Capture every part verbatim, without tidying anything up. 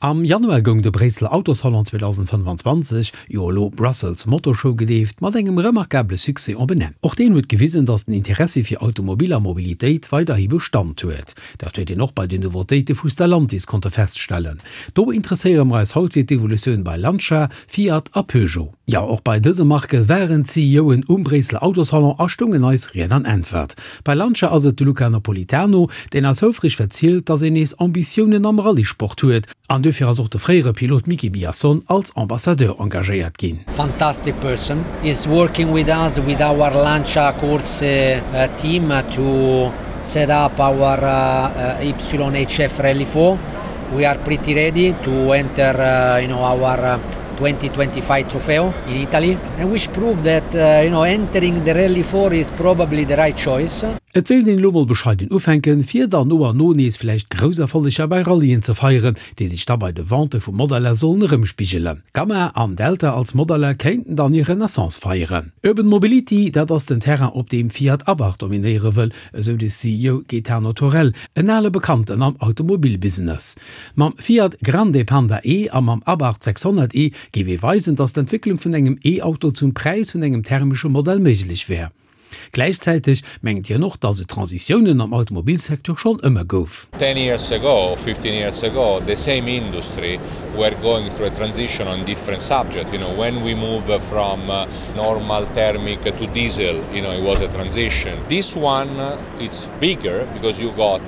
Am Januar goung de Bréisseler Autosalon zweedausendfënnefanzwanzeg, jo elo Brussels Motor Show gedeeft, mat engem remarkabele Succès op en Enn. Och deen huet gewisen, datt den Interessi fir Automobil a Mobilitéit weiderhi Bestand huet. Dat huet een och bei den Nouveautéite vu Stellantis konnte feststellen. Do interesséiere mer eis haut fir d'Evolutioun bei Lancia, Fiat a Peugeot. Jo, och bei dëse Marke waren d'CEOen um Bréisseler Autosalon a stoungen eis Ried an Äntwert. Bei Lancia ass et de Luca Napolitano, deen eis houfreg verzielt, datt een nees Ambitiounen am Rallyesport huet. An duerfir ass och de fréiere Pilot Miki Biason als Ambassadeur engagéiert ginn. Fantastic person is working with us with our Lancia Corse team to set up our Y H F Rally four. We are pretty ready to enter you know our twenty twenty five Trofeo in Italy and which prove that you know entering the Rally four is probably the right choice. Et wéilt een elo mol bescheiden ufänken, fir dann no an no nees vläicht grouss Erfolleger bei Rallyen ze feieren, déi sech da bei de Vente vu Modeller sollen erëmspigelen. Gamma an Delta als Modeller kéinten dann hir Renaissance feieren. Urban Mobility, dat ass den Terrain, op deem Fiat Abarth dominéiere wëll, esou de C E O Gaetano Thorel, en ale Bekannten am Automobilbusiness. Mam Fiat Grande Panda E a mam Abarth sechshonnert E géif ee weisen, datt d'Entwécklung vun engem E-Auto zum Präis vun engem thermesche Modell méiglech wär. Gläichzäiteg mengt hien och, datt et Transitiounen am Automobilsecteur schonn ëmmer gouf. Ten years ago, fifteen years ago, the same industry were going through a transition on different subjects. You know, when we move from normal thermic to diesel, you know, it was a transition. This one, it's bigger because you got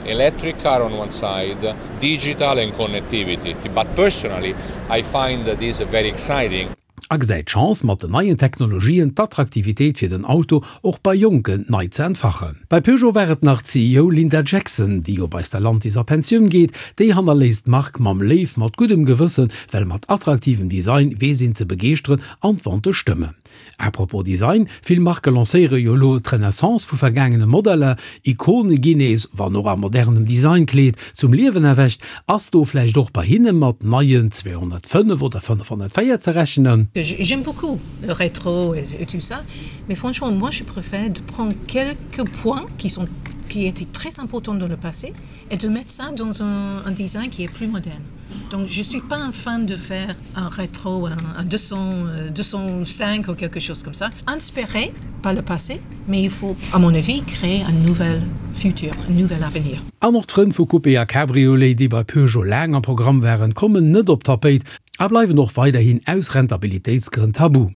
electric car on one side, digital and connectivity. But personally, I find this very exciting. A gesäit d'Chance, mat den neien Technologien d'Attraktivitéit fir den Auto och bei Jonken nei ze entfachen. Bei Peugeot war et nach d'C E O Linda Jackson, déi jo bei Stellantis a Pensioun geet, déi hannerléisst d'Mark mam Léiw mat guddem Gewëssen, well mat attraktivem Design weess een ze begeeschteren an d'Vente stëmmen. À propos Design, vill Marke lancéiere jo elo d'Renaissance vu vergaangene Modeller, Ikone ginn nees, wann och a modernem Designkleed, zum Liewen erwächt. Ass do vläicht och bei hinne mat neien zweehonnertfënnef oder fënnefhonnertvéier ze rechnen? J'aime beaucoup le rétro et tout ça, mais franchement, moi je préfère de prendre quelques points qui sont qui étaient très importants dans le passé et de mettre ça dans un, un design qui est plus moderne. Donc je suis pas un fan de faire un rétro, un, un deux cents, deux cent cinq ou quelque chose comme ça. Inspiré par le passé, mais il faut, à mon avis, créer un nouvel futur, un nouvel avenir. An och d'Frënn vu Coupé a Cabriolet, déi bei Peugeot laang am Programm waren, kommen net op d'Tapéit a bleiwen och weiderhin aus Rentabilitéitsgrënn tabu.